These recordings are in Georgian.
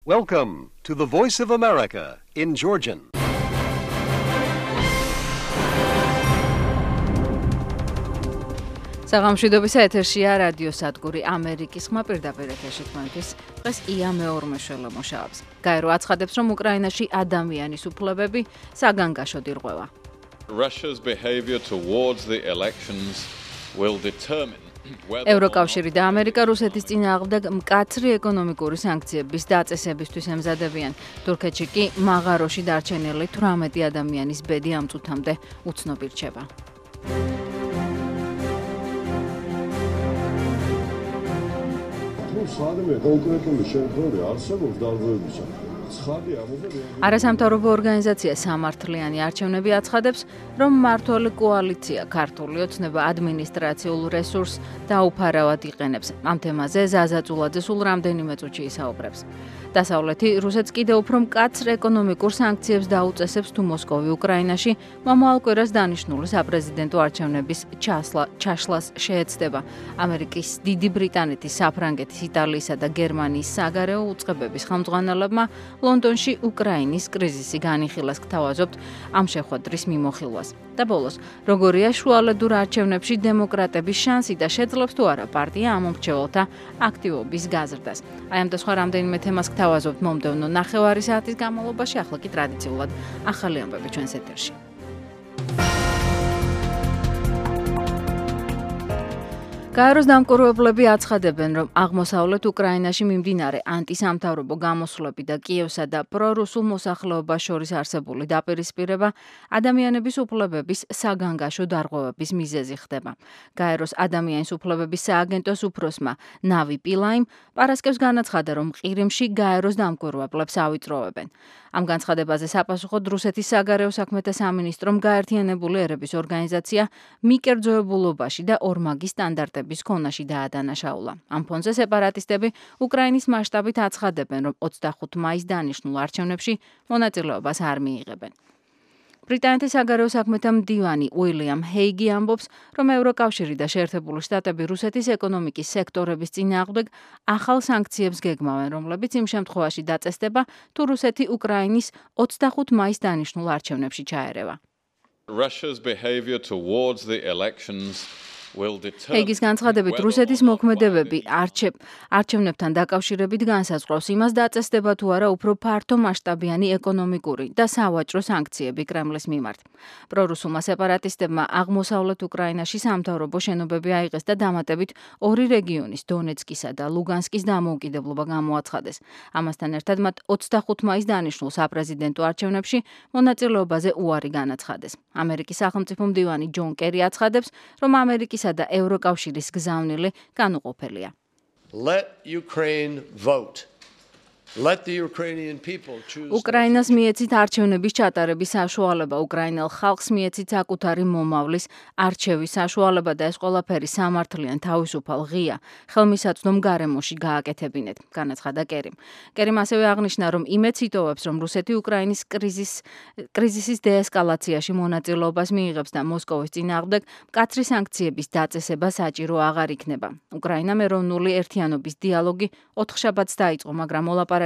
Welcome to the Voice of America in Georgian. საღამოშვიდობის ეთერშია რადიო სადგური ამერიკის ხმა პირდაპირ ეთერში თქვენთვის დღეს ია მეორმეშველო მუშაობს. გაერო აცხადებს, რომ უკრაინაში ადამიანის უფლებები საგანგაშოდ ირღვევა. Russia's behavior towards the elections will determine ევროკავშირი და ამერიკა რუსეთის წინააღმდეგ მკაცრი ეკონომიკური სანქციების დაწესებისთვის ემზადებიან. თურქეთში კი მაღაროში დარჩენილი 18 ადამიანის ბედი ამ წუთამდე უცნობი რჩება. სადმე კონკრეტული შემთხვევები არსებობს დარღვევებისა. არასამთავრობო ორგანიზაცია სამართლიანი არჩევნები აცხადებს, რომ მმართველი კოალიცია ქართული ოცნება ადმინისტრაციულ რესურსს დაუფარავად იყენებს. ამ თემაზე ზაზა წულაძე სულ რამდენიმე წუთში ისაუბრებს. დასავლეთი რუსეთს კიდევ უფრო მკაცრ ეკონომიკურ სანქციებს დაუწესებს თუ მოსკოვი უკრაინაში მომავალ კვირას დანიშნული საპრეზიდენტო არჩევნების ჩაშლას შეეცდება. ამერიკის, დიდი ბრიტანეთის, საფრანგეთის, იტალიისა და გერმანიის საგარეო უწყებების ხელმძღვანელებმა ლონდონში უკრაინის კრიზისი განიხილას გთავაზობთ ამ შეხვედრის მიმოხილვას. და ბოლოს, როგორია შუალედურ არჩევნებში დემოკრატების შანსი და შეძლებს თუ არა პარტია ამ მომრჩეველთა აქტივობის გაზრდას. აი ამ და სხვა რამდენიმე თემას გთავაზობთ მომდევნო ნახევარი საათის განმავლობაში, ახლა კი ტრადიციულად ახალი ამბები ჩვენს ეთერში. გაეროს დამკვირვებლები აცხადებენ, რომ აღმოსავლეთ უკრაინაში მიმდინარე ანტისამთავრობო გამოსვლები და კიევსა და პრორუსულ მოსახლეობას შორის არსებული დაპირისპირება ადამიანების უფლებების საგანგაშო დარღვევების მიზეზი ხდება. გაეროს ადამიანის უფლებების სააგენტოს უფროსმა ნავი პილაიმ პარასკევს განაცხადა, რომ ყირიმში გაეროს დამკვირვებლებს ავიწროვებენ. ამ განცხადებაზე საპასუხოდ რუსეთის საგარეო საქმეთა სამინისტრომ გაერთიანებული ერების ორგანიზაცია მიკერძოებულობაში და ორმაგი სტანდარტების ქონაში დაადანაშაულა. ამ ფონზე სეპარატისტები უკრაინის მასშტაბით აცხადებენ, რომ 25 მაისს დანიშნულ არჩევნებში მონაწილეობას არ მიიღებენ. ბრიტანეთის საგარეო საქმეთა მდივანი უილიამ ჰეიგი ამბობს, რომ ევროკავშირი და შეერთებული შტატები რუსეთის ეკონომიკის სექტორების წინააღმდეგ ახალ სანქციებს გეგმავენ, რომლებიც იმ შემთხვევაში დაწესდება, თუ რუსეთი უკრაინის 25 მაისს დანიშნულ არჩევნებში ჩაერევა. Russia's behavior towards the elections will determine ჰეიგის განცხადებით, რუსეთის მოქმედებები არჩევნებთან დაკავშირებით განსაზღვრავს იმას, დაწესდება თუ არა უფრო ფართო მასშტაბიანი ეკონომიკური და სავაჭრო სანქციები კრემლის მიმართ. პრორუსულმა სეპარატისტებმა აღმოსავლეთ უკრაინაში სამთავრობო შენობები აიღეს და დამატებით ორი რეგიონის, დონეცკისა და ლუგანსკის დამოუკიდებლობა გამოაცხადეს. ამასთან ერთად მათ 25 მაისს დანიშნულ საპრეზიდენტო არჩევნებში მონაწილეობაზე უარი განაცხადეს. ამერიკის სახელმწიფო მდივანი ჯონ კერი აცხადებს, რომ ამერიკის და ევროკავშირის გზავნილი განუყოფელია. Let Ukraine vote. Let the Ukrainian people choose. უკრაინას მიეცით არჩევნების ჩატარების საშუალება, უკრაინელ ხალხს მიეცით საკუთარი მომავლის არჩევის საშუალება და ეს ყველაფერი სამართლიან თავისუფალ ღია ხელმისაწვდომ გარემოში გააკეთებინეთ, განაცხადა კერიმ. კერიმ ასევე აღნიშნა, რომ იმედს იტოვებს, რომ რუსეთი უკრაინის კრიზისის დეესკალაციაში მონაწილეობას მიიღებს და მოსკოვის წინააღმდეგ მკაცრი სანქციების დაწესება საჭირო აღარ იქნება. უკრაინამ ეროვნული ერთიანობის დიალოგი 4 შაბათს დაიწყო, მაგრამ მოლაპარაკებაში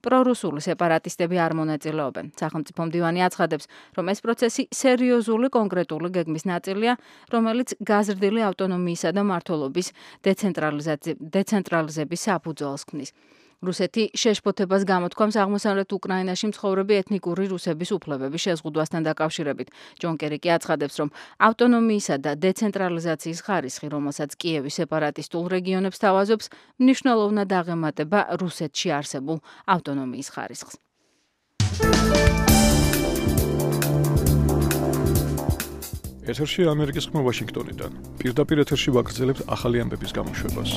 პრორუსული სეპარატისტები არ მონაწილეობენ. სახელმწიფო მდივანი აცხადებს, რომ ეს პროცესი სერიოზული კონკრეტული გეგმის ნაწილია, რომელიც გაზრდილი ავტონომიისა და მმართველობის დეცენტრალიზების საფუძველს ქმნის. რუსეთი შეშფოთებას გამოთქვამს აღმოსავლეთ უკრაინაში მცხოვრები ეთნიკური რუსების უფლებების შეზღუდვასთან დაკავშირებით. ჯონ კერი კი აცხადებს, რომ ავტონომიისა და დეცენტრალიზაციის ხარისხი, რომელსაც კიევი სეპარატისტულ რეგიონებს თავაზობს, მნიშვნელოვნად აღემატება რუსეთში არსებულ ავტონომიის ხარისხს. ეთერში ამერიკის ხმა ვაშინგტონიდან. პირდაპირ ეთერში ვაგრძელებთ ახალი ამბების გამოშვებას.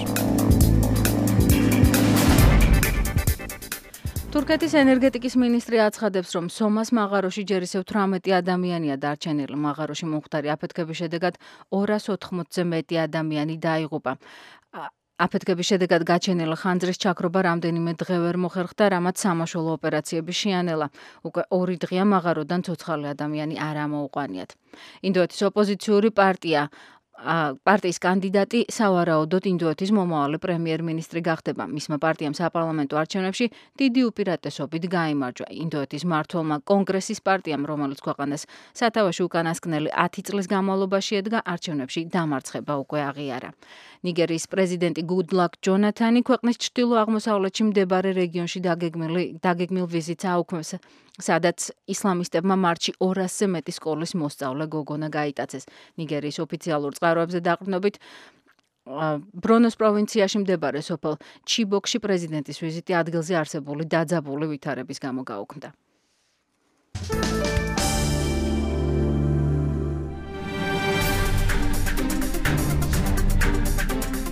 თურქეთის ენერგეტიკის მინისტრი აცხადებს, რომ სომას მაღაროში ჯერ ისევ 18 ადამიანია დარჩენილი. მაღაროში მომხდარი აფეთქების შედეგად 280-ზე მეტი ადამიანი დაიღუპა. აფეთქების შედეგად გაჩენილი ხანძრის ჩაქრობა რამდენიმე დღე ვერ მოხერხდა, რამაც სამაშველო ოპერაციები შეანელა. უკვე 2 დღეა მაღაროდან ცოცხალი ადამიანი არ ამოუყვანიათ. ინდოეთის ოპოზიციური პარტია პარტიის კანდიდატი სავარაუდოდ ინდოეთის მომავალი პრემიერ-მინისტრი გახდება. მისმა პარტიამ საპარლამენტო არჩევნებში დიდი უპირატესობით გაიმარჯვა. ინდოეთის მმართველმა კონგრესის პარტიამ, რომელიც ქვეყანას სათავეში უკანასკნელი 10 წლის განმავლობაში ედგა, არჩევნებში დამარცხება უკვე აღიარა. ნიგერიის პრეზიდენტი Goodluck Jonathan ქვეყნის ჩრდილო-აღმოსავლეთში მდებარე რეგიონში დაგეგმილ ვიზიტს აუქმებს, სადაც ისლამისტებმა მარტში 200-ზე მეტი სკოლის მოსწავლე გოგონა გაიტაცეს. ნიგერიის ოფიციალურ წყაროებზე დაყრდნობით ბრონოს პროვინციაში მდებარე სოფელ ჩიბოკში პრეზიდენტის ვიზიტი ადგილზე არსებული დაძაბული ვითარების გამო გაუქმდა.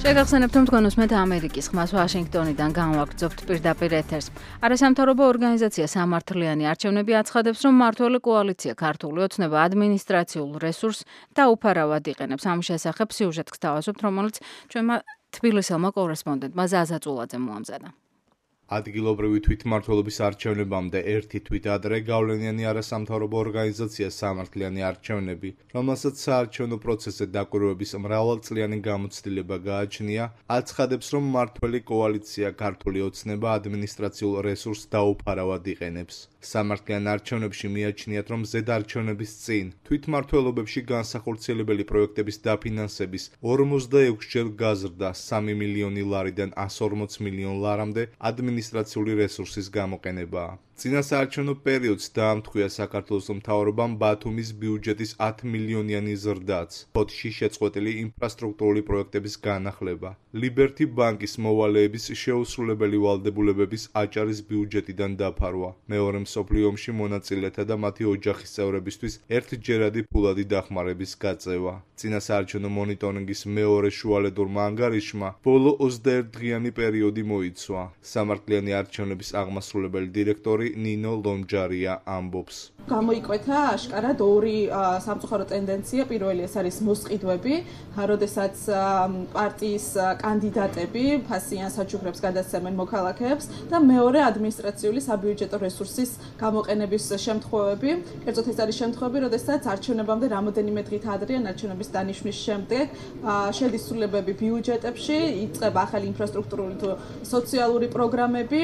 შეგახსენებთ, რომ თქვენ უსმენთ ამერიკის ხმას ვაშინგტონიდან განვაგრძობთ პირდაპირ ეთერს. არასამთავრობო ორგანიზაცია სამართლიანი არჩევნები აცხადებს, რომ მმართველი კოალიცია ქართული ოცნება ადმინისტრაციულ რესურსს დაუფარავად იყენებს. ამ შესახებ სიუჟეტს გთავაზობთ, რომელიც ჩვენმა თბილისელმა კორესპონდენტმა ზაზა წულაძემ მოამზადა. ადგილობრივი თვითმმართველობის არჩევნებამდე ერთი თვით ადრე გავლენიანი არასამთავრობო ორგანიზაცია სამართლიანი არჩევნები, რომელსაც საარჩევნო პროცესზე დაკვირვების მრავალწლიანი გამოცდილება გააჩნია, აცხადებს, რომ მმართველი კოალიცია ქართული ოცნება ადმინისტრაციულ რესურსს დაუფარავად იყენებს. სამართლიან არჩევნებში მიაჩნიათ, რომ ზედარჩევნების წინ თვითმმართველობებში განსახორციელებელი პროექტების დაფინანსების 46-ჯერ გაზრდა 3 მილიონი ლარიდან 140 მილიონ ლარამდე ადმინისტრაციული რესურსის გამოყენებაა. წინასაარჩევნო პერიოდს დაამტყვია საქართველოს მთავრობამ ბათუმის ბიუჯეტის 10 მილიონიანი ზრდაც, ფოთში შეწყვეტილი ინფრასტრუქტურული პროექტების განახლება, ლიბერთი ბანკის მოვალეების შეუსრულებელი ვალდებულებების აჭარის ბიუჯეტიდან დაფარვა, მეორე მსოფლიო ომში მონაწილეთა და მათი ოჯახის წევრებისთვის ერთჯერადი ფულადი დახმარების გაწევა. წინასაარჩევნო მონიტორინგის მეორე შუალედურმა ანგარიშმა ბოლო 21 დღიანი პერიოდი მოიცვა. სამართლიანი არჩევნების აღმასრულებელი დირექტორი ნინო ლომჯარია ამბობს. გამოიკვეთა აშკარად ორი სამწუხარო ტენდენცია. პირველი ეს არის მოსყიდვები, როდესაც პარტიის კანდიდატები ფასიან საჩუქრებს გადასცემენ მოქალაქეებს და მეორე ადმინისტრაციული საბიუჯეტო რესურსის გამოყენების შემთხვევები. კერძოდ ეს არის შემთხვევები, როდესაც არჩევნებამდე რამოდენიმე დღით ადრე ან არჩევნების დანიშვნის შემდეგ შედის ცვლილებები ბიუჯეტებში, იწყება ახალი ინფრასტრუქტურული თუ სოციალური პროგრამები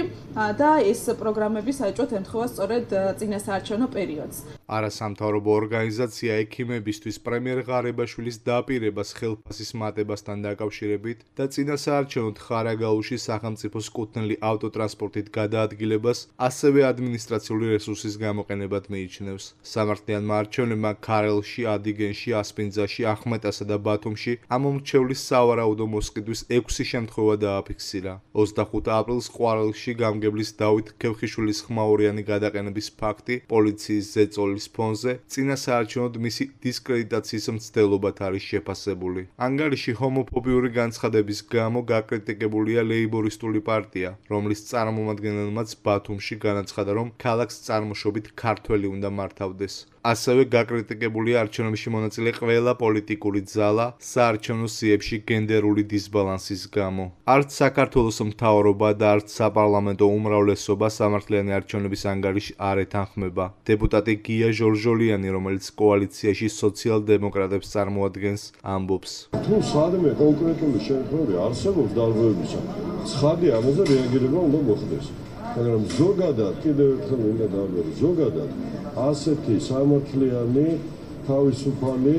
და ეს პროგრამები საერთოდ ემთხვევა სწორედ წინასაარჩევნო პერიოდს. არასამთავრობო ორგანიზაცია ექიმებისთვის პრემიერ ღარიბაშვილის დაპირებას ხელფასის მატებასთან დაკავშირებით და წინასაარჩევნოდ ხარაგაულში სახელმწიფოს კუთვნილი ავტოტრანსპორტით გადაადგილებას ასევე ადმინისტრაციული რესურსის გამოყენებად მიიჩნევს. სამართლიანმა არჩევნებმა ქარელში, ადიგენში, ასპინძაში, ახმეტასა და ბათუმში ამომრჩევლის სავარაუდო მოსყიდვის 6 შემთხვევა დააფიქსირა. 25 აპრილს ყვარელში გამგებლის დავით ქევხიშვილის ხმაურიანი გადაყენების ფაქტი პოლიციის ზეწოლის ფონზე წინასაარჩევნოდ მისი დისკრედიტაციის მცდელობად არის შეფასებული. ანგარიში ჰომოფობიური განცხადების გამო გაკრიტიკებულია ლეიბორისტული პარტია, რომლის წარმომადგენელმაც ბათუმში განაცხადა, რომ ქალაქს წარმოშობით ქართველი უნდა მართავდეს. ასევე გაკრიტიკებულია არჩევნებში მონაწილე ყველა პოლიტიკური ძალა საარჩევნო სიებში გენდერული დისბალანსის გამო. არც საქართველოს მთავრობა და არც საპარლამენტო უმრავლესობა სამართლიანი არჩევნების ანგარიშს არ ეთანხმება. დეპუტატი გია ჟორჟოლიანი, რომელიც კოალიციაში სოციალ-დემოკრატებს წარმოადგენს, ამბობს. თუ სადმე კონკრეტული შემთხვევები არსებობს დალღვევებისა, ცხადი ამაზე რეაგირება უნდა მოხდეს. მაგრამ ზოგადად კიდევ ერთხელ უნდა დავწერო, ზოგადად ასეთი სამართლიანი თავისუფალი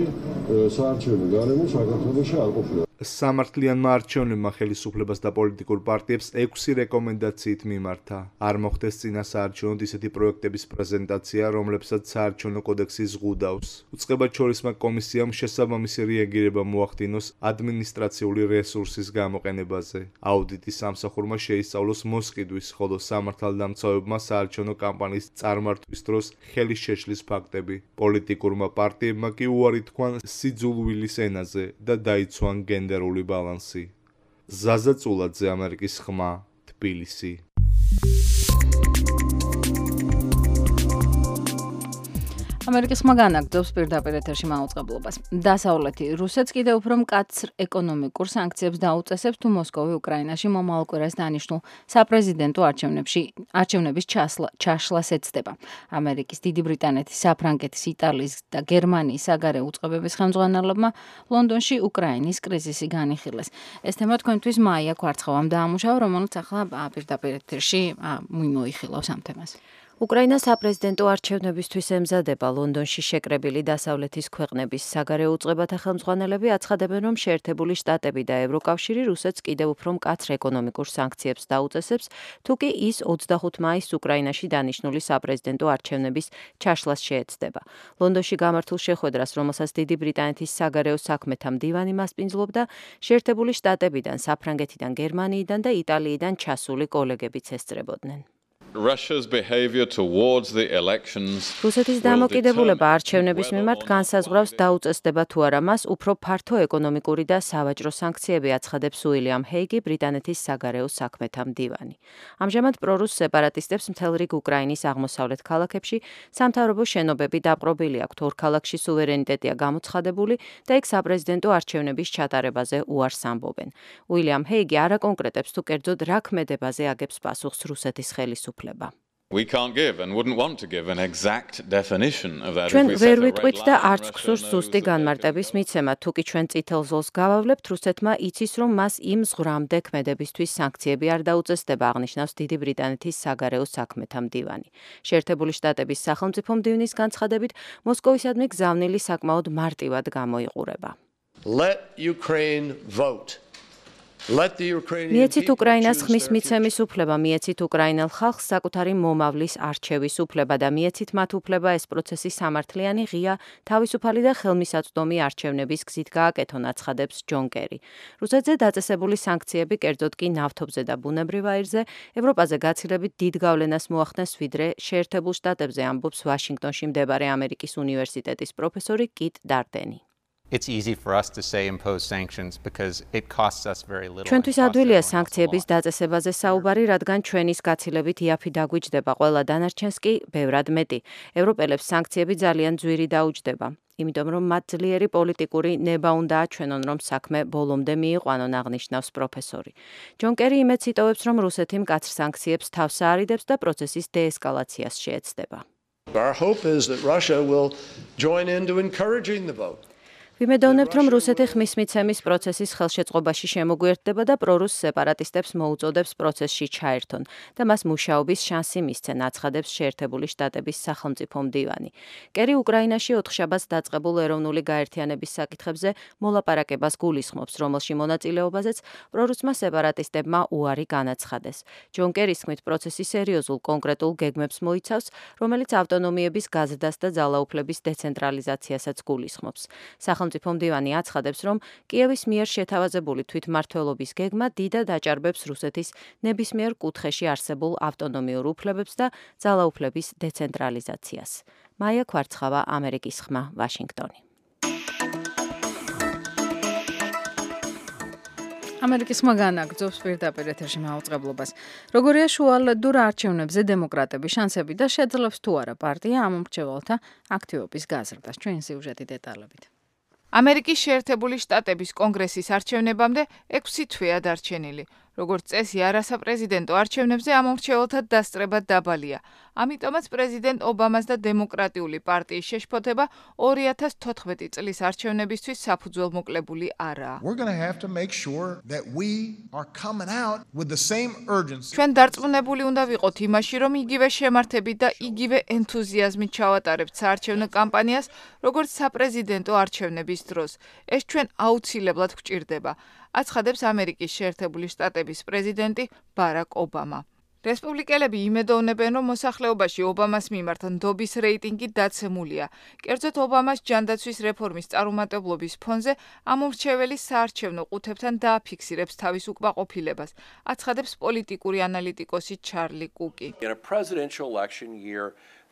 საარჩევნო გარემო საქართველოში არ ყოფილა. სამართლიანმა არჩევნებმა ხელისუფლებას და პოლიტიკურ პარტიებს 6 რეკომენდაციით მიმართა. არ მოხდეს წინასაარჩევნოდ ისეთი პროექტების პრეზენტაცია, რომლებსაც საარჩევნო კოდექსი ზღუდავს. უწყებაჩორისმა კომისიამ შესაბამისი რეაგირება მოახდინოს ადმინისტრაციული რესურსის გამოყენებაზე. აუდიტის სამსახურმა შეისწავლოს მოსყიდვის, ხოლო სამართალდამცავებმა საარჩევნო კამპანიის წარმართვის დროს ხელის შეშლის ფაქტები. პოლიტიკურმა პარტიებმა კი უარი თქვან სიძულვილის ენაზე და დაიცვან გენდერული ბალანსი. ზაზა წულაძე, ამერიკის ხმა, თბილისი. ამერიკის ხმა განაგრძობს პირდაპირ ეთერში მაუწყებლობას. დასავლეთი რუსეთს კიდევ უფრო მკაცრ ეკონომიკურ სანქციებს დაუწესებს, თუ მოსკოვი უკრაინაში მომავალ კვირას დანიშნულ საპრეზიდენტო არჩევნების ჩაშლას ეცდება. ამერიკის, დიდი ბრიტანეთის, საფრანგეთის, იტალიის და გერმანიის საგარეო უწყებების ხელმძღვანელებმა ლონდონში უკრაინის კრიზისი განიხილეს. ეს თემა თქვენთვის მაია კვარცხავამ დაამუშავა, რომელიც ახლა პირდაპირ ეთერში მოიხილავს ამ თემას. უკრაინა საპრეზიდენტო არჩევნებისთვის ემზადება. ლონდონში შეკრებილი დასავლეთის ქვეყნების საგარეო უწყებათა ხელმძღვანელები აცხადებენ, რომ შეერთებული შტატები და ევროკავშირი რუსეთს კიდევ უფრო მკაცრ ეკონომიკურ სანქციებს დაუწესებს, თუ კი ის 25 მაისს უკრაინაში დანიშნული საპრეზიდენტო არჩევნების ჩაშლას შეეცდება. ლონდონში გამართულ შეხვედრას, რომელსაც დიდი ბრიტანეთის საგარეო საქმეთა მდივანი მასპინძლობდა, შეერთებული შტატებიდან, საფრანგეთიდან, გერმანიიდან და იტალიიდან ჩასული კოლეგებიც ესწრებოდნენ. Russia's behavior towards the elections რუსეთის დამოკიდებულება არჩევნების მიმართ განსაზღვრავს დაუწესდება თუ არა მას უფრო ფართო ეკონომიკური და სავაჭრო სანქციები აცხადებს უილიამ ჰეიგი, ბრიტანეთის საგარეო საქმეთა მდივანი. ამჟამად პრორუს სეპარატისტებს მთელ რიგ უკრაინის აღმოსავლეთ ქალაქებში სამთავრობო შენობები დაპყრობილი აქვთ. ორ ქალაქში სუვერენიტეტია გამოცხადებული და იქ საპრეზიდენტო არჩევნების ჩატარებაზე უარს ამბობენ. უილიამ ჰეიგი არ აკონკრეტებს თუ კერძოდ რა ქმედებაზე აგებს პასუხს რუსეთის ხელისუფლება. We can't give and wouldn't want to give an exact definition of that. ჩვენ ვერ ვიტყვით და არც გსურს ზუსტი განმარტების მიცემა, თუ კი ჩვენ წითელ ზოლს გავავლებთ, რუსეთმა იცის, რომ მას იმ ზღვრამდე ქმედებისთვის სანქციები არ დაუწესდება, აღნიშნავს დიდი ბრიტანეთის საგარეო საქმეთა მდივანი. შეერთებული შტატების სახელმწიფო მდივნის განცხადებით, მოსკოვისადმი გზავნილი საკმაოდ მარტივად გამოიყურება. Let Ukraine vote. მიეცით უკრაინას ხმის მიცემის უფლება, მიეცით უკრაინელ ხალხს საკუთარი მომავლის არჩევის უფლება და მიეცით მათ უფლება ეს პროცესი სამართლიანი, ღია, თავისუფალი და ხელმისაწვდომი არჩევნების გზით გააკეთონ, აცხადებს ჯონ კერი. რუსეთზე დაწესებული სანქციები, კერძოდ კი ნავთობზე და ბუნებრივ აირზე, ევროპაზე გაცილებით დიდ გავლენას მოახდენს, ვიდრე შეერთებულ შტატებზე, ამბობს ვაშინგტონში მდებარე ამერიკის უნივერსიტეტის პროფესორი კიტ დარტენი. It's easy for us to say impose sanctions because it costs us very little. ჩვენთვის ადვილია სანქციების დაწესებაზე საუბარი, რადგან ჩვენის გაცილებით იაფი დაგვიჯდება, ყველა დანარჩენს კი ბევრად მეტი. ევროპელებს სანქციები ძალიან ძვირი დაუჯდება. იმიტომ რომ მათ ძლიერი პოლიტიკური ნება უნდა აჩვენონ, რომ საქმე ბოლომდე მიიყვანონ, აღნიშნავს პროფესორი. ჯონ კერი იმედს იტოვებს, რომ რუსეთი მკაცრ სანქციებს თავს აარიდებს და პროცესის დეესკალაციას შეეცდება. Our hope is that Russia will join into encouraging the vote. ვიმედოვნებთ, რომ რუსეთი ხმის მიცემის პროცესის ხელშეწყობაში შემოგვიერთდება და პრორუს სეპარატისტებს მოუწოდებს პროცესში ჩაერთონ და მას მუშაობის შანსი მისცენ, აცხადებს შეერთებული შტატების სახელმწიფო მდივანი. კერი უკრაინაში ოთხშაბათს დაწყებულ ეროვნული გაერთიანების საკითხებზე მოლაპარაკებას გულისხმობს, რომელში მონაწილეობაზეც პრორუსმა სეპარატისტებმა უარი განაცხადეს. ჯონ კერის თქმით, პროცესი სერიოზულ კონკრეტულ გეგმებს მოიცავს, რომელიც ავტონომიების გაზრდას და ძალაუფლების დეცენტრალიზაციასაც გულისხმობს. სახელმწიფო მდივანი აცხადებს, რომ კიევის მიერ შეთავაზებული თვითმმართველობის გეგმა დიდად აჭარბებს რუსეთის ნებისმიერ კუთხეში არსებულ ავტონომიურ უფლებებს და ძალაუფლების დეცენტრალიზაციას. მაია კვარცხავა, ამერიკის ხმა, ვაშინგტონი. ამერიკის ხმა განაგრძობს პირდაპირ ეთერში მაუწყებლობას. როგორია შუალედურ არჩევნებზე დემოკრატების შანსები და შეძლებს თუ არა პარტია ამ მრჩეველთა აქტივობის გაზრდას. ჩვენი სიუჟეტი დეტალებით. ამერიკის შეერთებული შტატების კონგრესის არჩევნებამდე 6 თვეა დარჩენილი. როგორც წესი, არასაპრეზიდენტო არჩევნებზე ამ მრჩეველთა დასწრება დაბალია. ამიტომაც პრეზიდენტ ობამას და დემოკრატიული პარტიის შეშფოთება 2014 წლის არჩევნებისთვის საფუძველმოკლებული არაა. ჩვენ დარწმუნებული უნდა ვიყოთ იმაში, რომ იგივე შემართებით და იგივე ენთუზიაზმით ჩავატარებთ საარჩევნო კამპანიას, როგორც საპრეზიდენტო არჩევნების დროს. ეს ჩვენ აუცილებლად გვჭირდება. აცხადებს ამერიკის შეერთებული შტატების პრეზიდენტი ბარაკ ობამა. რესპუბლიკელები იმედოვნებენ, რომ მოსახლეობაში ობამას მიმართ ნდობის რეიტინგი დაცემულია. კერძოდ ობამას ჯანდაცვის რეფორმის წარუმატებლობის ფონზე ამ მრჩეველი საარჩევნო ყუთებთან დააფიქსირებს თავის უკმაყოფილებას. აცხადებს პოლიტიკური ანალიტიკოსი ჩარლი კუკი.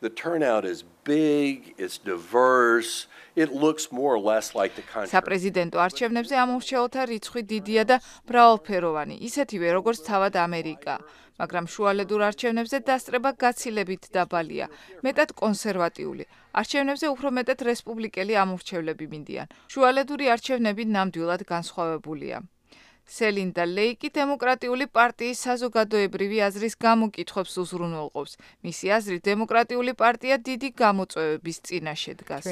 The turnout is big, it's diverse, it looks more or less like the country. საპრეზიდენტო არჩევნებზე ამ მრჩეველთა რიცხვი დიდია და მრავალფეროვანი, ისეთივე როგორც თავად ამერიკა. მაგრამ შუალედურ არჩევნებზე დასწრება გაცილებით დაბალია, მეტად კონსერვატიული. არჩევნებზე უფრო მეტად რესპუბლიკელი ამორჩევლები მინდიან. შუალედური არჩევნები ნამდვილად განსხვავებულია. სელინდა ლეიკი დემოკრატიული პარტიის საზოგადოებრივი აზრის გამოკითხვებს უზრუნველყოფს. მისი აზრით, დემოკრატიული პარტია დიდი გამოწვევების წინაშე დგას.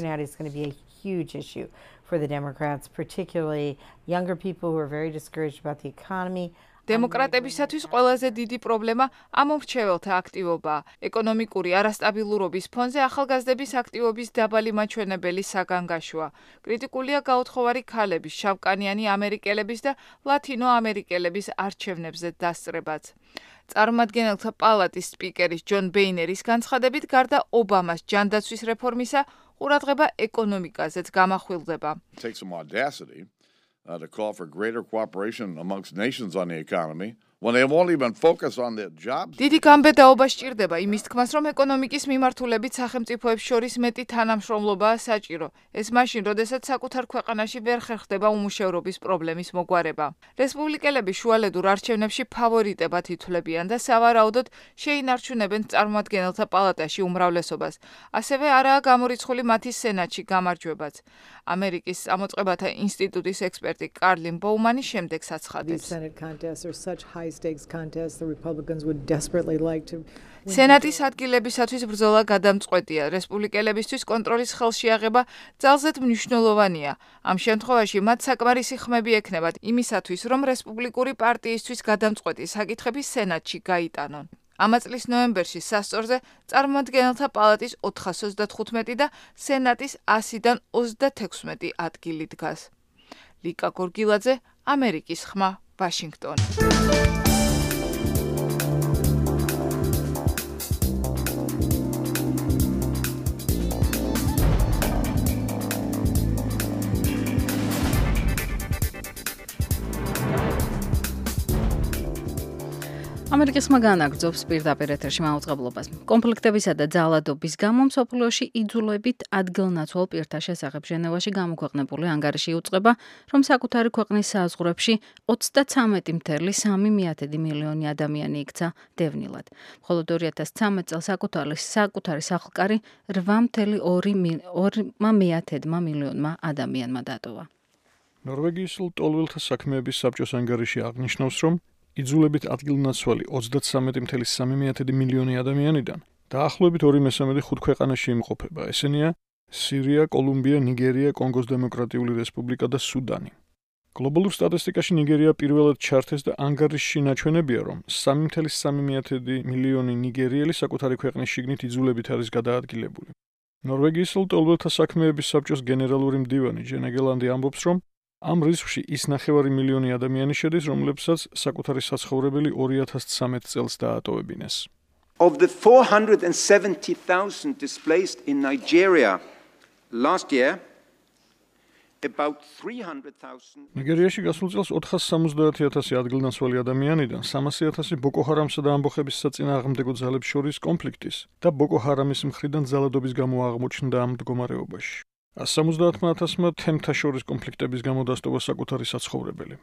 Huge issue for the Democrats, particularly younger people who are very discouraged about the economy. დემოკრატებისათვის ყველაზე დიდი პრობლემა ამომრჩეველთა აქტივობაა. ეკონომიკური არასტაბილურობის ფონზე ახალგაზრდების აქტივობის დაბალი მაჩვენებელი საგანგაშოა. კრიტიკულია გაუთხოვარი ქალების, შავკანიანი ამერიკელების და ლათინო ამერიკელების არჩევნებზე დასწრებაც. წარმომადგენელთა პალატის სპიკერის ჯონ ბეინერის განცხადებით, გარდა ობამას ჯანდაცვის რეფორმისა, ყურადღება ეკონომიკაზეც გამახვილდება. To call for greater cooperation amongst nations on the economy when they've only been focused on their jobs. დიდი გამბედაობა სჭირდება იმის თქმას, რომ ეკონომიკის მიმართულებით სახელმწიფოებს შორის მეტი თანამშრომლობაა საჭირო. ეს მაშინ, როდესაც საკუთარ ქვეყანაში ვერ ხერხდება უმუშევრობის პრობლემის მოგვარება. რესპუბლიკელები შუალედურ არჩევნებში ფავორიტებად ითვლებიან და სავარაუდოდ შეინარჩუნებენ წარმომადგენელთა პალატაში უმრავლესობას. ასევე არაა გამორიცხული მათი სენატში გამარჯვებაც. ამერიკის წამოწყებათა ინსტიტუტის ექსპერტი კარლინ ბოუმანი შემდეგს აცხადებს. სენატის ადგილებისათვის ბრძოლა გადამწყვეტია. რესპუბლიკელებისთვის კონტროლის ხელში აღება ძალზედ მნიშვნელოვანია. ამ შემთხვევაში მათ საკმარისი ხმები ექნებათ იმისათვის, რომ რესპუბლიკური პარტიისთვის გადამწყვეტი საკითხები სენატში გაიტანონ. ამ წლის ნოემბერში სასწორზე წარმომადგენელთა პალატის 435 და სენატის 100-დან 36 ადგილი დგას. ლიკა გორგილაძე, ამერიკის ხმა, ვაშინგტონი. ამერიკის ხმა განაგრძობს პირდაპირ ეთერში მაუწყებლობას. კონფლიქტებისა და ძალადობის გამო მსოფლიოში იძულებით ადგილნაცვალ პირთა შესახებ ჟენევაში გამოქვეყნებული ანგარიში იუწყება, რომ საკუთარი ქვეყნის საზღვრებში 33.3 მილიონი ადამიანი იქცა დევნილად. მხოლოდ 2013 წელს საკუთარი სახლკარი 8.2 მილიონმა ადამიანმა დატოვა. ნორვეგიის ლტოლვილთა საქმეების საბჭოს ანგარიში აღნიშნავს, რომ იძულებით ადგილნაცვალი 33.3 მილიონი ადამიანიდან დაახლოებით 2/3 ხუთ ქვეყანაში იმყოფება. ესენია სირია, კოლუმბია, ნიგერია, კონგოს დემოკრატიული რესპუბლიკა და სუდანი. გლობალურ სტატისტიკაში ნიგერია პირველად ჩართეს და ანგარიშში ნაჩვენებია, რომ 3.3 მილიონი ნიგერიელი საკუთარი ქვეყნის შიგნით იძულებით არის გადაადგილებული. ნორვეგიის ლტოლვილთა საქმეების საბჭოს გენერალური მდივანი ჯენა გელანდი ამბობს, რომ ამ რისკში ის 9 მილიონი ადამიანი შედის, რომლებსაც საკუთარი საცხოვრებელი 2013 წელს დაატოვებინეს. Of the 470,000 displaced in Nigeria last year, about 300,000 ნიგერიაში გასულ წელს 470,000 ადგილნაცვალი ადამიანიდან 300,000 ბოკო ჰარამსა და ამბოხების საწინააღმდეგო ძალებს შორის კონფლიქტის და ბოკო ჰარამის მხრიდან ძალადობის გამო აღმოჩნდა ამ მდგომარეობაში. 170,000-მა თემთა შორის კონფლიქტების გამო დასტოვა საკუთარი საცხოვრებელი.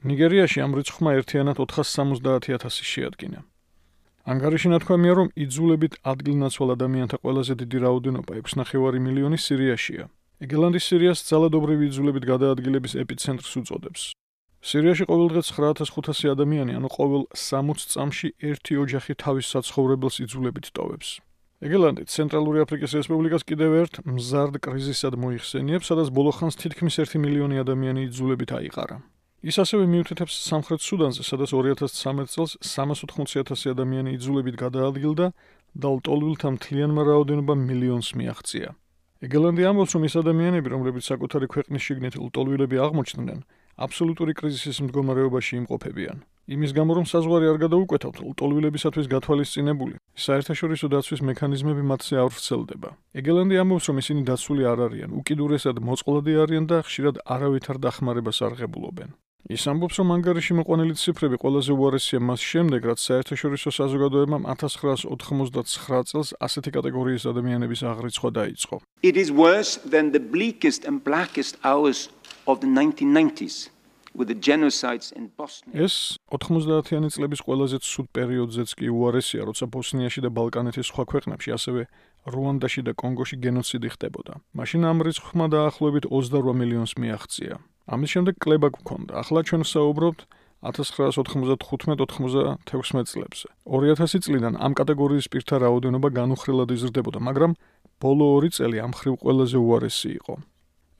ნიგერიაში ამ რიცხვმა ერთიანად 470,000 შეადგინა. ანგარიში ნათქვამია, რომ იძულებით ადგილნაცვალ ადამიანთა ყველაზე დიდი რაოდენობა 6,5 მილიონი სირიაშია. ეგელანდი სირიას ძალადობრივი იძულებით გადაადგილების ეპიცენტრს უწოდებს. სირიაში ყოველდღე 9,500 ადამიანი, ანუ ყოველ 60 წამში ერთი ოჯახი თავის საცხოვრებელს იძულებით ტოვებს. ეგელანდი ცენტრალური აფრიკის რესპუბლიკას კიდევ ერთ მზარდ კრიზისად მოიხსენიებს, სადაც ბოლო ხანს თითქმის 1 მილიონი ადამიანი იძულებით აიყარა. ის ასევე მიუთითებს სამხრეთ სუდანზე, სადაც 2013 წელს 380,000 ადამიანი იძულებით გადაადგილდა და ლტოლვილთა მთლიანმა რაოდენობამ მილიონს მიაღწია. ეგელანდი ამბობს, რომ ის ადამიანები, რომლებიც საკუთარი ქვეყნის შიგნით ლტოლვილები აღმოჩნდნენ, აბსოლუტური კრიზისის მდგომარეობაში იმყოფებიან. იმის გამო, რომ საზღვარი არ გადაუკვეთავთ, ლტოლვილებისათვის გათვალისწინებული საერთაშორისო დაცვის მექანიზმები მათზე არ ვრცელდება. ეგელანდი ამბობს, რომ ისინი დაცული არ არიან, უკიდურესად მოწყვლადი არიან და ხშირად არავითარ დახმარებას არ ღებულობენ. ის ამბობს, რომ ანგარიში მოყვანილი ციფრები ყველაზე უარესია მას შემდეგ, რაც საერთაშორისო საზოგადოებამ 1989 წელს ასეთი კატეგორიის ადამიანების აღრიცხვა დაიწყო. It is worse than the bleakest and blackest hours of the 1990s, with the genocides in Bosnia. ეს 90-იანი წლების ყველაზე ცუდ პერიოდზეც კი უარესია, როცა ბოსნიაში და ბალკანეთის სხვა ქვეყნებში, ასევე რუანდაში და კონგოში გენოციდი ხდებოდა. მაშინ ამ რიცხვმა დაახლოებით 28 მილიონს მიაღწია. ამის შემდეგ კლება გვქონდა. ახლა ჩვენ ვსაუბრობთ 1995-96 წლებზე. 2000 წლიდან ამ კატეგორიის პირთა რაოდენობა განუხრელად იზრდებოდა, მაგრამ ბოლო 2 წელი ამ მხრივ ყველაზე უარესი იყო.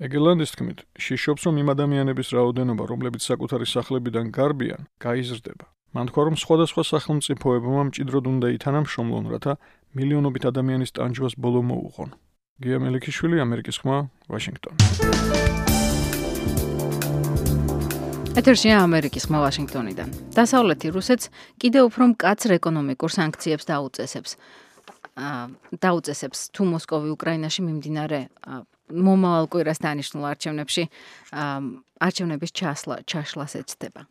ეგელანდის თქმით, შიშობს, რომ იმ ადამიანების რაოდენობა, რომლებიც საკუთარი სახლებიდან გარბიან, გაიზრდება. მან თქვა, რომ სხვადასხვა სახელმწიფოებმა მჭიდროდ უნდა ითანამშრომლონ, რათა მილიონობით ადამიანის ტანჯვას ბოლო მოუღონ. გია მელიქიშვილი, ამერიკის ხმა, ვაშინგტონი. ეთერშია ამერიკის ხმა ვაშინგტონიდან. დასავლეთი რუსეთს კიდევ უფრო მკაცრ ეკონომიკურ სანქციებს დაუწესებს თუ მოსკოვი უკრაინაში მიმდინარე მომავალ კვირას დანიშნულ არჩევნების ჩაშლას ეცდება.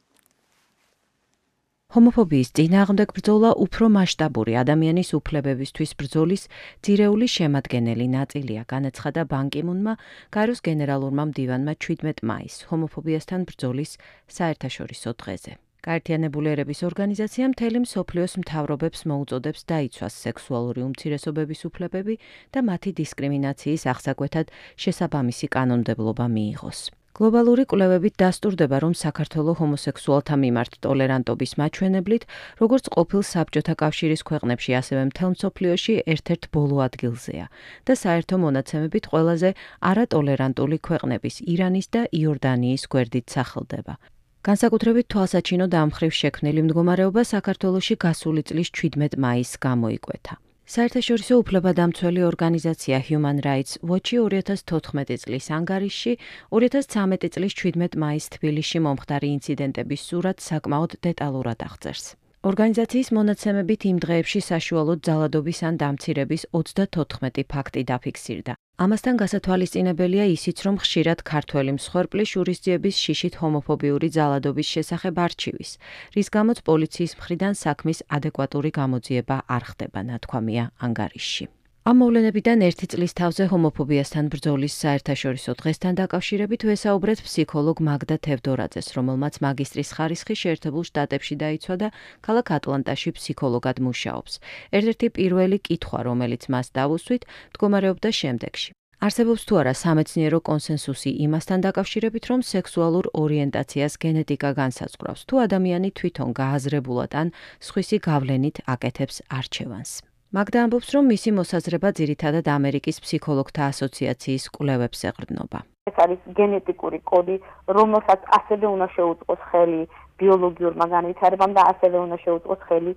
ჰომოფობიის წინააღმდეგ ბრძოლა უფრო მასშტაბური ადამიანის უფლებებისთვის ბრძოლის ძირეული შემადგენელი ნაწილია, განაცხადა ბან კი მუნმა გაეროს გენერალურმა მდივანმა 17 მაისს ჰომოფობიასთან ბრძოლის საერთაშორისო დღეზე. გაერთიანებული ერების ორგანიზაცია მთელი მსოფლიოს მთავრობებს მოუწოდებს დაიცვას სექსუალური უმცირესობების უფლებები და მათი დისკრიმინაციის აღსაკვეთად შესაბამისი კანონმდებლობა მიიღოს. გლობალური კვლევებით დასტურდება, რომ საქართველოს ჰომოსექსუალთა მიმართ ტოლერანტობის მაჩვენებლით, როგორც ყოფილ საბჭოთა კავშირის ქვეყნებში, ასევე მთელ მსოფლიოში ერთ-ერთ ბოლო ადგილზეა და საერთო მონაცემებით ყველაზე არატოლერანტული ქვეყნების ირანის და იორდანიის გვერდით სახელდება. განსაკუთრებით თვალსაჩინოდ ამ მხრივ შექმნილი მდგომარეობა საქართველოში გასული წლის 17 მაისს გამოიკვეთა. საერთაშორისო უფლებადამცველი ორგანიზაცია Human Rights Watch 2014 წლის ანგარიშში 2013 წლის 17 მაისს თბილისში მომხდარი ინციდენტების სურათს საკმაოდ დეტალურად აღწერს. ორგანიზაციის მონაცემებით იმ დღეებში საშუალოდ ძალადობის ან დამცირების 34 ფაქტი დაფიქსირდა. ამასთან გასათვალისწინებელია ისიც, რომ ხშირად ქართველი მსხვერპლი შურისძიების შიშით ჰომოფობიური ძალადობის შესახებ არჩივის, რის გამოც პოლიციის მხრიდან საქმის ადეკვატური გამოძიება არ ხდება, ნათქვამია ანგარიშში. ამ მოვლენებიდან ერთი წლის თავზე ჰომოფობიასთან ბრძოლის საერთაშორისო დღესთან დაკავშირებით ვესაუბრეთ ფსიქოლოგ მაგდა თევდორაძეს, რომელმაც მაგისტრის ხარისხი შეერთებულ შტატებში დაიცვა და ქალაქ ატლანტაში ფსიქოლოგად მუშაობს. ერთ-ერთი პირველი კითხვა, რომელიც მას დავუსვით, მდგომარეობდა შემდეგში. არსებობს თუ არა სამეცნიერო კონსენსუსი იმასთან დაკავშირებით, რომ სექსუალურ ორიენტაციას გენეტიკა განსაზღვრავს, თუ ადამიანი თვითონ გააზრებულად ან სხვისი გავლენით აკეთებს არჩევანს. მაგდა ამბობს, რომ მისი მოსაზრება ძირითადად ამერიკის ფსიქოლოგთა ასოციაციის კვლევებს ეყრდნობა. ეს არის გენეტიკური კოდი, რომელსაც ასევე უნდა შეუწყოს ხელი ბიოლოგიურმა განვითარებამ და ასევე უნდა შეუწყოს ხელი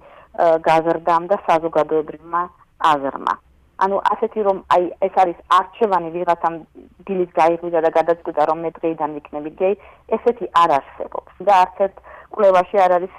გაზრდამ და საზოგადოებრივმა აზრმა. ანუ ასეთი რომ აი ეს არის არჩევანი ვიღაცამ დილის გაიღვიძა და გადაწყვიტა რომ მე დღეიდან ვიქნები გეი, ესეთი არ არსებობს. და არც ერთ კვლევაში არ არის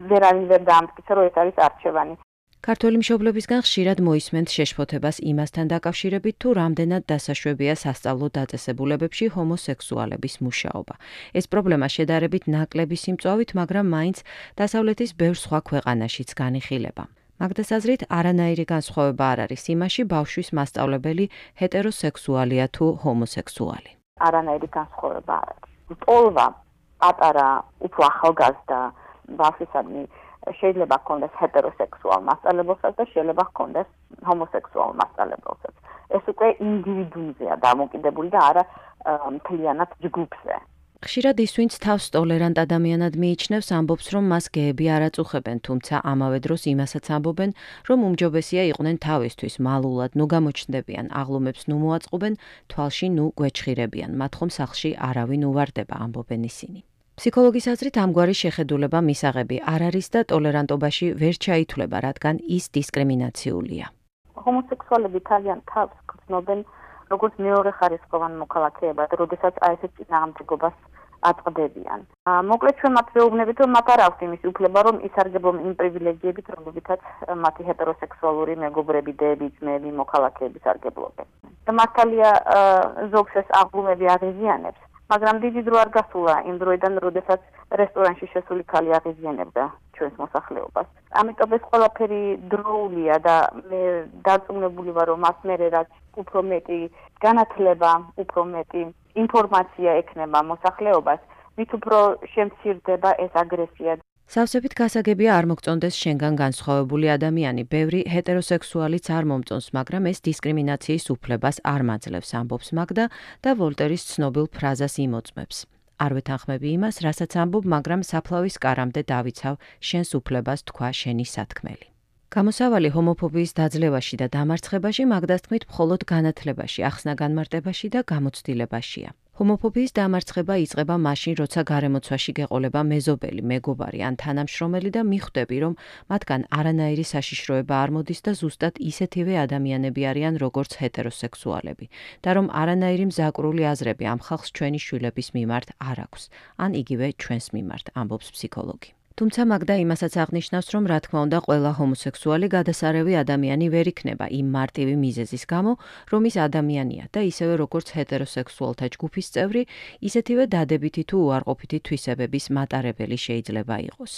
ვერავინ ვერ დაამტკიცა რომ ეს არის არჩევანი. ქართველი მშობლებისგან ხშირად მოისმენთ შეშფოთებას იმასთან დაკავშირებით, თუ რამდენად დასაშვებია სასწავლო დაწესებულებებში ჰომოსექსუალების მუშაობა. ეს პრობლემა შედარებით ნაკლები სიმწვავით, მაგრამ მაინც დასავლეთის ბევრ სხვა ქვეყანაშიც განიხილება. მაგდას აზრით, არანაირი განსხვავება არ არის იმაში, ბავშვის მასწავლებელი ჰეტეროსექსუალია თუ ჰომოსექსუალი. არანაირი განსხვავება არ არის. ტოლვა პატარა, უფრო ახალგაზრდა ბავშვისადმი შეიძლება ჰქონდეს ჰეტეროსექსუალ მასწავლებელსაც და შეიძლება ჰქონდეს ჰომოსექსუალ მასწავლებელსაც. ეს უკვე ინდივიდუმზეა დამოკიდებული და არა მთლიანად ჯგუფზე. ხშირად ის, ვინც თავს ტოლერანტ ადამიანად მიიჩნევს, ამბობს, რომ მას გეები არ აწუხებენ, თუმცა ამავე დროს იმასაც ამბობენ, რომ უმჯობესია იყვნენ თავისთვის, მალულად, ნუ გამოჩნდებიან, აღლუმებს ნუ მოაწყობენ, თვალში ნუ გვეჩხირებიან, მათ ხომ სახლში არავინ უვარდება, ამბობენ ისინი. ფსიქოლოგის აზრით ამგვარი შეხედულება მისაღები არ არის და ტოლერანტობაში ვერ ჩაითვლება, რადგან ის დისკრიმინაციულია. ჰომოსექსუალები თავიანთ თავს გრძნობენ როგორც მეორეხარისხოვან მოქალაქეებად, როდესაც აი ეს წინააღმდეგობას აწყდებიან. მოკლედ ჩვენ მათ ვეუბნებით, რომ მათ არ აქვს იმის უფლება, რომ ისარგებლონ იმ პრივილეგიებით, რომლებითაც მათი ჰეტეროსექსუალური მეგობრები, დეები, ძმები, მოქალაქეები სარგებლობენ. და მართალია ზოგს ეს აღლუმები აღიზიანებს, მაგრამ დიდი დრო არ გასულა იმ დროიდან, როდესაც რესტორანში შესული ქალი აღიზიანებდა ჩვენს მოსახლეობას. ამიტომ ეს ყველაფერი დროულია და მე დარწმუნებული ვარ, რომ მას მერე რაც უფრო მეტი განათლება, უფრო მეტი ინფორმაცია ექნება მოსახლეობას, მით უფრო შემცირდება ეს აგრესია. სავსებით გასაგებია არ მოგწონდეს შენგან განსხვავებული ადამიანი, ბევრი ჰეტეროსექსუალიც არ მომწონს, მაგრამ ეს დისკრიმინაციის უფლებას არ მაძლევს, ამბობს მაგდა და ვოლტერის ცნობილ ფრაზას იმოწმებს. არ ვეთანხმები იმას, რასაც ამბობ, მაგრამ საფლავის კარამდე დავიცავ შენს უფლებას თქვა შენი სათქმელი. გამოსავალი ჰომოფობიის დაძლევაში და დამარცხებაში მაგდას თქმით მხოლოდ განათლებაში, ახსნა-განმარტებაში და გამოცდილებაშია. ჰომოფობიის დამარცხება იწყება მაშინ, როცა გარემოცვაში გეყოლება მეზობელი, მეგობარი ან თანამშრომელი და მიხვდები, რომ მათგან არანაირი საშიშროება არ მოდის და ზუსტად ისეთივე ადამიანები არიან, როგორც ჰეტეროსექსუალები და რომ არანაირი მზაკვრული აზრები ამ ხალხს ჩვენი შვილების მიმართ არ აქვს, ან იგივე ჩვენს მიმართ, ამბობს ფსიქოლოგი. თუმცა მაგდა იმასაც აღნიშნავს, რომ რა თქმა უნდა ყველა ჰომოსექსუალი გადასარევი ადამიანი ვერ იქნება იმ მარტივი მიზეზის გამო, რომ ის ადამიანია და ისევე როგორც ჰეტეროსექსუალთა ჯგუფის წევრი, ისეთივე დადებითი თუ უარყოფითი თვისებების მატარებელი შეიძლება იყოს.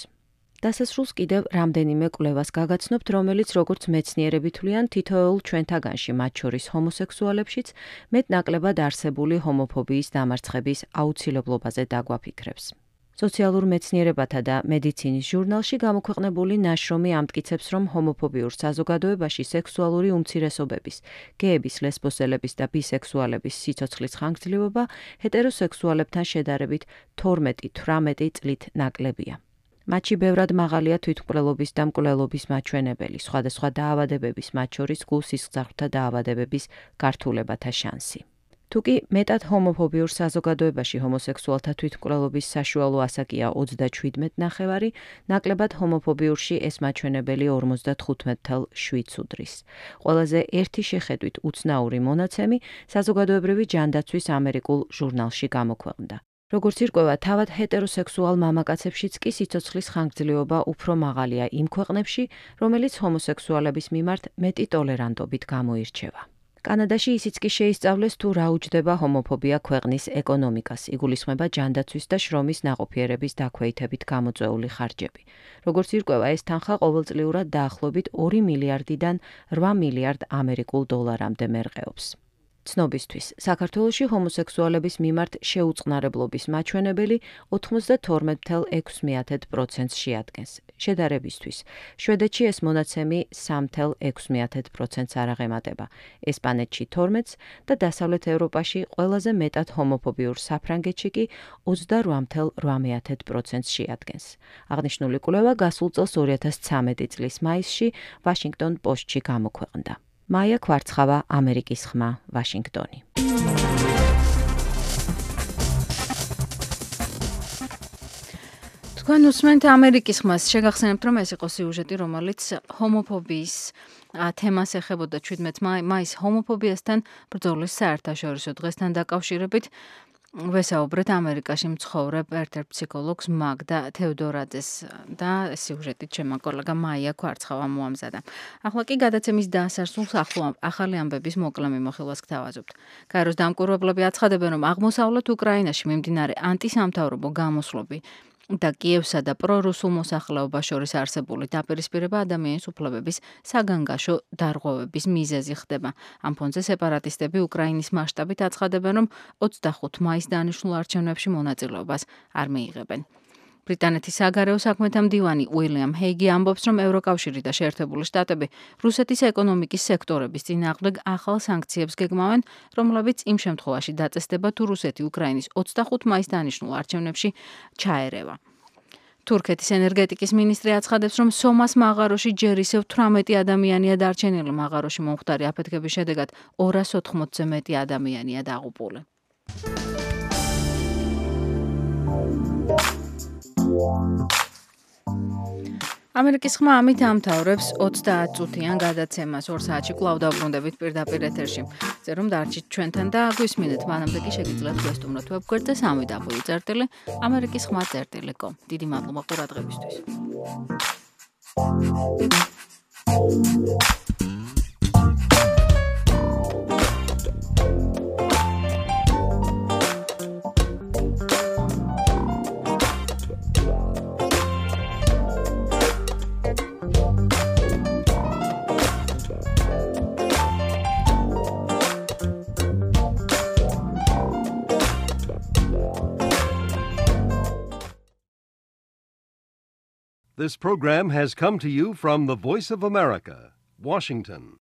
დასასრულს კიდევ რამდენიმე კვლევას გაგაცნობთ, რომელიც როგორც მეცნიერები თვლიან, თითოეულ ჩვენთაგანში, მათ შორის ჰომოსექსუალებშიც, მეტნაკლებად არსებული ჰომოფობიის დამარცხების აუცილებლობაზე დაგვაფიქრებს. სოციალურ მეცნიერებათა და მედიცინის ჟურნალში გამოქვეყნებული ნაშრომი ამტკიცებს, რომ ჰომოფობიურ საზოგადოებაში სექსუალური უმცირესობების, გეების, ლესბოსელების და ბისექსუალების სიცოცხლის ხანგრძლივობა ჰეტეროსექსუალებთან შედარებით 12-18 წლით ნაკლებია. მათში ბევრად მაღალია თვითმკვლელობის და მკვლელობის მაჩვენებელი, სხვადასხვა დაავადებების, მათ შორის გულ-სისხლძარღვთა დაავადებების გართულებათა შანსი. თუკი მეტად ჰომოფობიურ საზოგადოებაში ჰომოსექსუალთა თვითმკვლელობის საშუალო ასაკია 37.9, ნაკლებად ჰომოფობიურში ეს მაჩვენებელი 55.7 უდრის. ყველაზე ერთი შეხედვით უცნაური მონაცემი საზოგადოებრივი ჯანდაცვის ამერიკულ ჟურნალში გამოქვეყნდა. როგორც ირკვევა, თავად ჰეტეროსექსუალ მამაკაცებშიც კი სიცოცხლის ხანგრძლივობა უფრო მაღალია იმ ქვეყნებში, რომელიც ჰომოსექსუალების მიმართ მეტი ტოლერანტობით გამოირჩევა. კანადაში ისიც კი შეისწავლეს თუ რა უჯდება ჰომოფობია ქვეყნის ეკონომიკას, იგულისხმება ჯანდაცვის და შრომის ნაყოფიერების დაქვეითებით გამოწვეული ხარჯები. როგორც ირკვევა, ეს თანხა ყოველწლიურად დაახლოებით 2 მილიარდიდან 8 მილიარდ ამერიკულ დოლარამდე მერყეობს. ცნობისთვის, საქართველოში ჰომოსექსუალების მიმართ შეუწყნარებლობის მაჩვენებელი 92.6%-ს შეადგენს. შედარებისთვის, შვედეთში ეს მონაცემი 3.6%-ს არაღემატება, ესპანეთში 12%-ს და დასავლეთ ევროპაში ყველაზე მეტად ჰომოფობიურ საფრანგეთში კი 28.8%-ს შეადგენს. აღნიშნული კვლევა გასულ წელს 2013 წლის მაისში ვაშინგტონ პოსტში გამოქვეყნდა. მაია კვარცხავა, ამერიკის ხმა, ვაშინგტონი. თქვენ უსმენთ ამერიკის ხმას. შეგახსენებთ, რომ ეს იყო სიუჟეტი, რომელიც ჰომოფობიის თემას ეხებოდა 17 მაისს ჰომოფობიასთან ბრძოლის საერთაშორისო დღესთან დაკავშირებით. ვესაუბრეთ ამერიკაში მცხოვრებ ერთ-ერთ ფსიქოლოგს მაგდა თევდორაძეს და სიუჟეტით ჩემო კოლეგა მაია კვარცხავა მოამზადა. ახლა კი გადაცემის დასასრულს ახალი ამბების მოკლე მიმოხილვას გთავაზობთ. გაეროს დამკვირვებლები აცხადებენ, რომ აღმოსავლეთ უკრაინაში მიმდინარე ანტისამთავრობო გამოსვლები და კიევსა და პრორუსულ მოსახლეობას შორის არსებული დაპირისპირება ადამიანის უფლებების საგანგაშო დარღვევების მიზეზი ხდება. ამ ფონზე სეპარატისტები უკრაინის მასშტაბით აცხადებენ, რომ 25 მაისს დანიშნულ არჩევნებში მონაწილეობას არ მიიღებენ. ბრიტანეთის საგარეო საქმეთა მდივანი უილიამ ჰეიგი ამბობს, რომ ევროკავშირი და შეერთებული შტატები რუსეთის ეკონომიკის სექტორების წინააღმდეგ ახალ სანქციებს გეგმავენ, რომლებიც იმ შემთხვევაში დაწესდება, თუ რუსეთი უკრაინის 25 მაისს დანიშნულ არჩევნებში ჩაერევა. თურქეთის ენერგეტიკის მინისტრი აცხადებს, რომ სომას მაღაროში ჯერ ისევ 18 ადამიანია დარჩენილი. მაღაროში მომხდარი აფეთქების შედეგად 280-ზე მეტი ადამიანია დაღუპული. ამერიკის ხმა ამით ამთავრებს 30 წუთიან გადაცემას 2 საათში კვლავ დავბრუნდებით პირდაპირ ეთერში. წერომ დარჩით ჩვენთან და გვისმინეთ, მანამდე კი შეგიძლიათ გვესტუმროთ ვებგვერდზე www.amerikas.com. დიდი მადლობა ყურადღებისთვის. This program has come to you from the Voice of America, Washington.